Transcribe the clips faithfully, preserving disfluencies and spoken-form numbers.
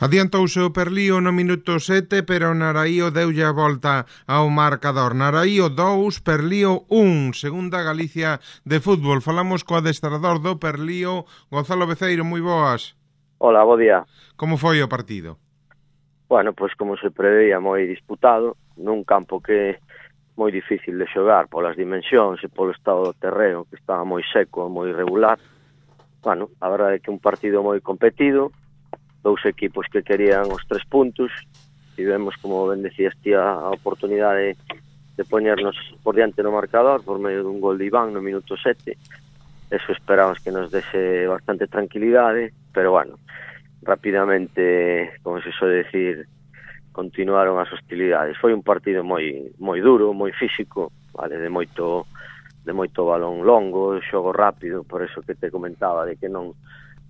Adiantouse o Perlío no minuto sete, pero Naraío deulle a volta ao marcador. Naraío dous, Perlío un, segunda Galicia de fútbol. Falamos co adestrador do Perlío, Gonzalo Beceiro, moi boas. Hola, bo día. Como foi o partido? Bueno, pois como se preveía, moi disputado, nun campo que moi difícil de xogar polas dimensións e polo estado do terreo, que estaba moi seco, moi irregular. Bueno, a verdade é que un partido moi competido, dous equipos que querían os tres puntos, tivemos, como ben decías ti, a oportunidade de poñernos por diante no marcador por medio dun gol de Iván no minuto sete. Eso esperamos que nos dese bastante tranquilidade, pero bueno, rapidamente, como se suele decir, continuaron as hostilidades. Foi un partido moi moi duro, moi físico, vale, de moito de moito balón longo, xogo rápido, por eso que te comentaba de que non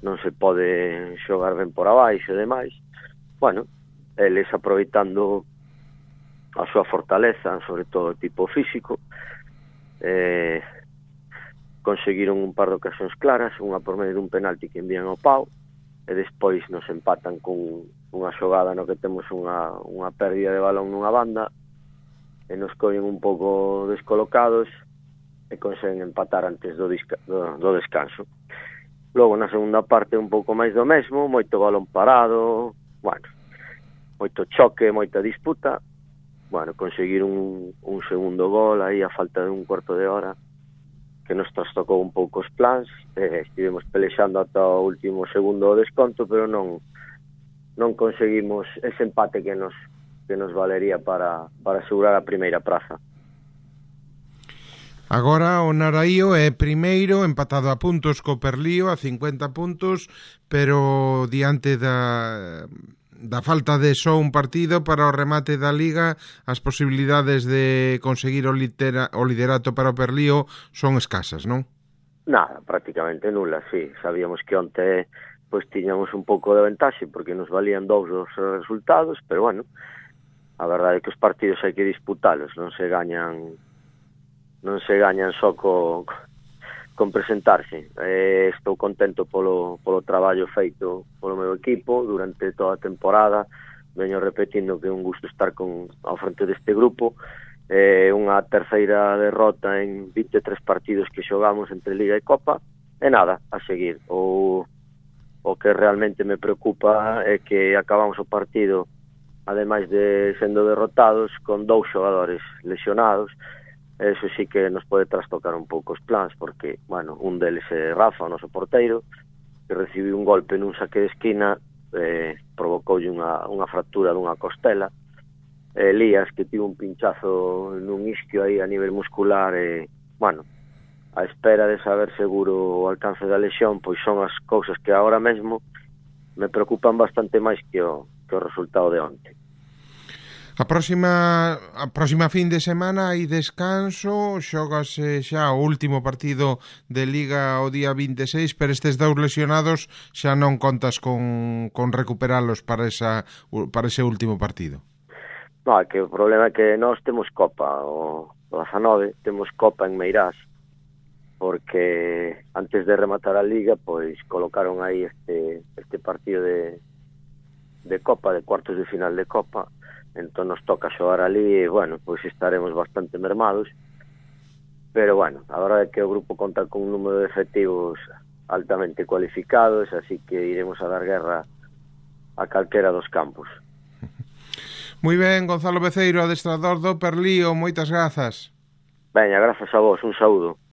non se pode xogar ben por abaixo e demais. Bueno, eles aproveitando a súa fortaleza, sobre todo o tipo físico, eh, conseguiron un par de ocasións claras, unha por medio dun penalti que envían ao pau, e despois nos empatan con unha xogada no que temos unha, unha pérdida de balón nunha banda, e nos collen un pouco descolocados, e conseguen empatar antes do, disca, do, do descanso. Logo, na segunda parte, un pouco máis do mesmo, moito balón parado, bueno, moito choque, moita disputa, bueno, conseguir un, un segundo gol aí a falta de un cuarto de hora, que nos trastocou un pouco os plans, eh, estivemos pelexando ata o último segundo do desconto, pero non non conseguimos ese empate que nos que nos valería para, para asegurar a primeira praza. Agora o Naraío é primeiro, empatado a puntos co Perlío, a cincuenta puntos, pero diante da, da falta de só un partido para o remate da Liga, as posibilidades de conseguir o, litera, o liderato para o Perlío son escasas, non? Nada, prácticamente nula, sí. Sabíamos que onte pois tiñamos un pouco de ventaxe porque nos valían dous os resultados, pero bueno, a verdade é que os partidos hai que disputalos, non se gañan non se gañan só co, con presentarse. Eh, estou contento polo, polo traballo feito polo meu equipo durante toda a temporada. Veño repetindo que é un gusto estar con, ao frente deste grupo. Eh, unha terceira derrota en vinte e tres partidos que xogamos entre Liga e Copa. E nada, a seguir. O, o que realmente me preocupa é que acabamos o partido, ademais de sendo derrotados, con dous xogadores lesionados. Eso sí que nos pode trastocar un pouco os plans, porque, bueno, un deles é Rafa, o noso porteiro, que recibiu un golpe nun saque de esquina, eh, provocoulle unha, unha fractura dunha costela. Elías, que tivo un pinchazo nun isquio aí a nivel muscular, e, bueno, a espera de saber seguro o alcance da lesión, pois son as cousas que agora mesmo me preocupan bastante máis que o, que o resultado de onte. A próxima a próxima fin de semana hai descanso, xógase xa o último partido de Liga o día vinte e seis, pero estes dous lesionados xa non contas con, con recuperalos para, esa, para ese último partido. No, é que o problema é que nós temos Copa, o dezanove, temos Copa en Meirás, porque antes de rematar a Liga, pois colocaron aí este, este partido de, de Copa, de cuartos de final de Copa. Entón nos toca xogar ali e, bueno, pois estaremos bastante mermados, pero, bueno, a verdade é que o grupo conta con un número de efectivos altamente cualificados, así que iremos a dar guerra a calquera dos campos. Moi ben, Gonzalo Beceiro, adestrador do Perlío, moitas grazas. Veña, grazas a vos, un saúdo.